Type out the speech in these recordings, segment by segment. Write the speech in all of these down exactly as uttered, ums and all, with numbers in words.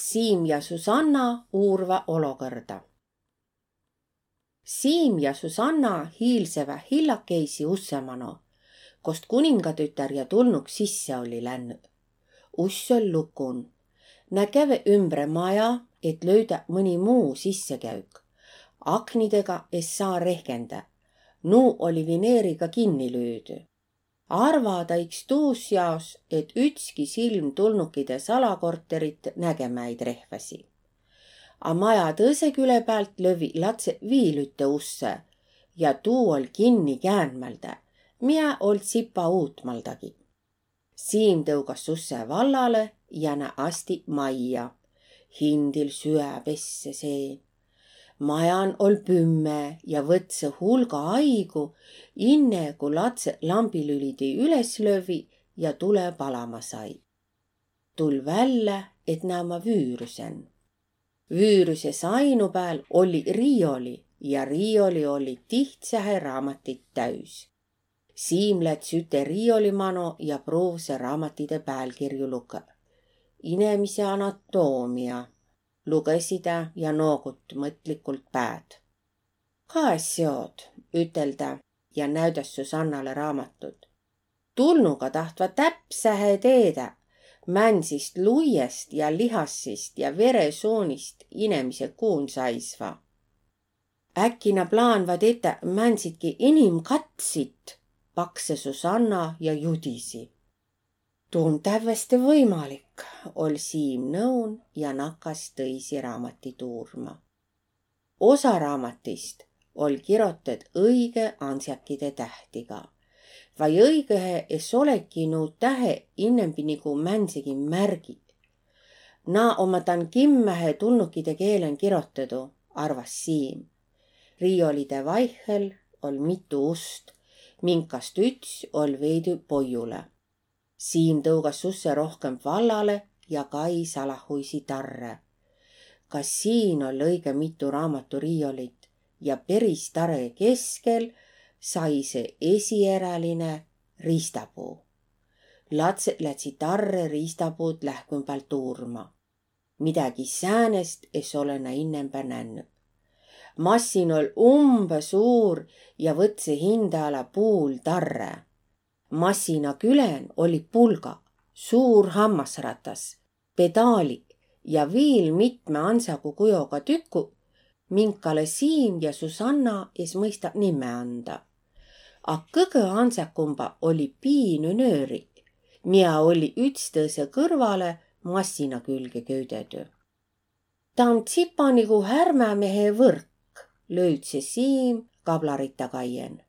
Siim ja Susanna uurva olokõrda. Siim ja Susanna hiilsevä hillakeisi usse mano, kost kuningatütär ja tulnuk sisse olli lännü. Uss oll lukun. Nä käve ümbre maja, et löüdä mõni muu sissekäük. Aknidega es saa rehkendä. Nuu olli vineeriga kinni lüüdü. Arvada iks tuus jaos, et ütski silm tulnukide salakorterit nägemä ei trehväsi. A maja tõse küle päält lövvi latse viil ütte usse ja tuu oll kinni käänmäldä, miä oll tsipa uutmaldagi. Siim tõugas usse vallale ja nä asti majja. Hindil süä pesse seen. Majan oll pümme ja võtsõ hulga aigu, inne ku latse lambilülidi üles lövvi ja tule palama sai. Tull vällä, et nä omma vüürüsen. Vüürüse sainu pääl olli riioli ja riioli olli tihtsähe raamatit täüs. Siim läts üte riioli mano ja pruuvse raamatide päälkirju lukõ. Inemise anatoomia. Lugõ sidä ja noogut mõtlikult pääd. Kae seod, üteldä ja näüdäs Susannale raamatut. Tulnuga tahtva täpsähe teedä, mänsist luiest ja lihassist ja veresuunist inemise kuun saisva. Äkki na plaanva tetä mänsidki inimkatsit, paksõ Susanna ja judisi. Tuu om tävveste võimalik, oll Siim nõun ja nakas tõisi raamatit uurma. Osa raamatist oll kirotet õigõ ansjakide tähtiga. Vai õigõhe es olegi nuu tähe innembi nigu mänsegi märgi. Naa omma dan kimmähe tulnukide keelen kirotõdu, arvas Siim. Riiolide vaihhel oll mitu ust, minkast üts oll veidü poiulõ. Siim tõugas usse rohkemb vallale ja kai salahuisi tarrõ. Ka siin oll õigõ mitu raamaturiiolit ja peris tarõ keskel saisõ esieräline riistapuu. Latset lätsi tarrõ riistapuud lähkümbält uurma. Midägi säänest es olõ nä innembä nännü. Massin oll umbõ suur ja võtsõ hindä ala puul tarrõ. Massina külen olli pulga, suur hammasratas, pedaali ja viil mitme ansagu kujoga tüku, minkale Siim ja Susanna es mõista nimme anda. A kõgõ ansakumba olli piinü nööri, mia olli ütstõsõ kõrvalõ massina külge köüdedü. Taa om tsipa nigu härmämehe võrk, löüdse Siim kablaritta kaien.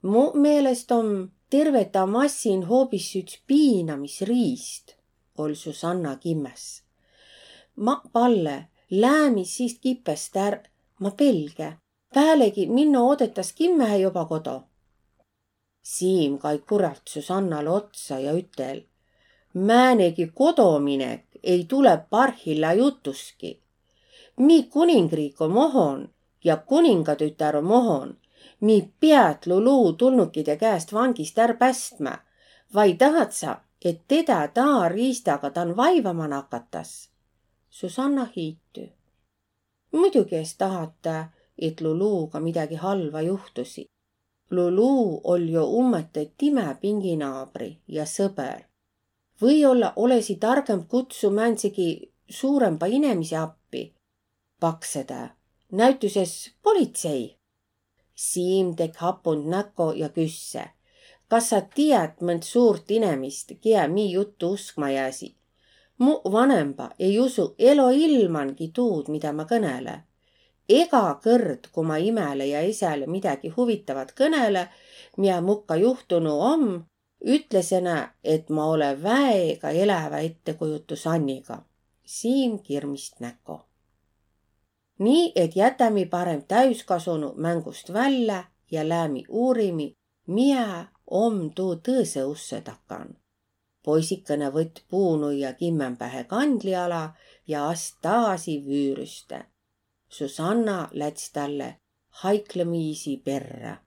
Mu meelest om terve taa massin hoobis üts piinamisriist, oll Susanna kimmäs. Ma palle, läämi siist kipest är, ma pelgä. Päälegi minno odetas kimmähe joba kodo. Siim kai kuralt Susannale otsa ja ütel: Määnegi kodominek ei tule parhilla jutuski. Mi kuningriik om ohon ja kuningatütär om ohon. Mi piät Lulu tulnukide käest vangist är pästmä. Vai tahat sa, et tedä taa riistaga dan vaivama nakatas? Susanna hiitü. Muidugi es tahata, et Luluga midägi halva juhtusi. Lulu oll jo ummõttõ timä pinginaabri ja sõber. Või-olla olõsi targõmb kutsu määndsegi suurõmba inemise appi, paksõ tä. Näütüses politsei. Siim tekk' hapund näko ja küsse: Kas sa tiät mõnt suurt inemist, kiä mi juttu uskma jääsi? Mu vanemba ei usu elo ilmangi tuud, midä ma kõnele. Ega kõrd, ku ma imäle ja esäle midägi huvitavat kõnele, mia mukka juhtunu om, ütlese nä, et ma olõ väega elävä ettekujutusanniga. Siim kirmist näko. Nii et jätämi parem täüskasunu mängust vällä ja läämi uurimi, mia om tuu tõõsõ ussõ takan. Poisikõnõ võtt puunuia kimmämbähe kandli ala ja ast taasi vüürüste. Susanna läts talle haiklamiisi perrä.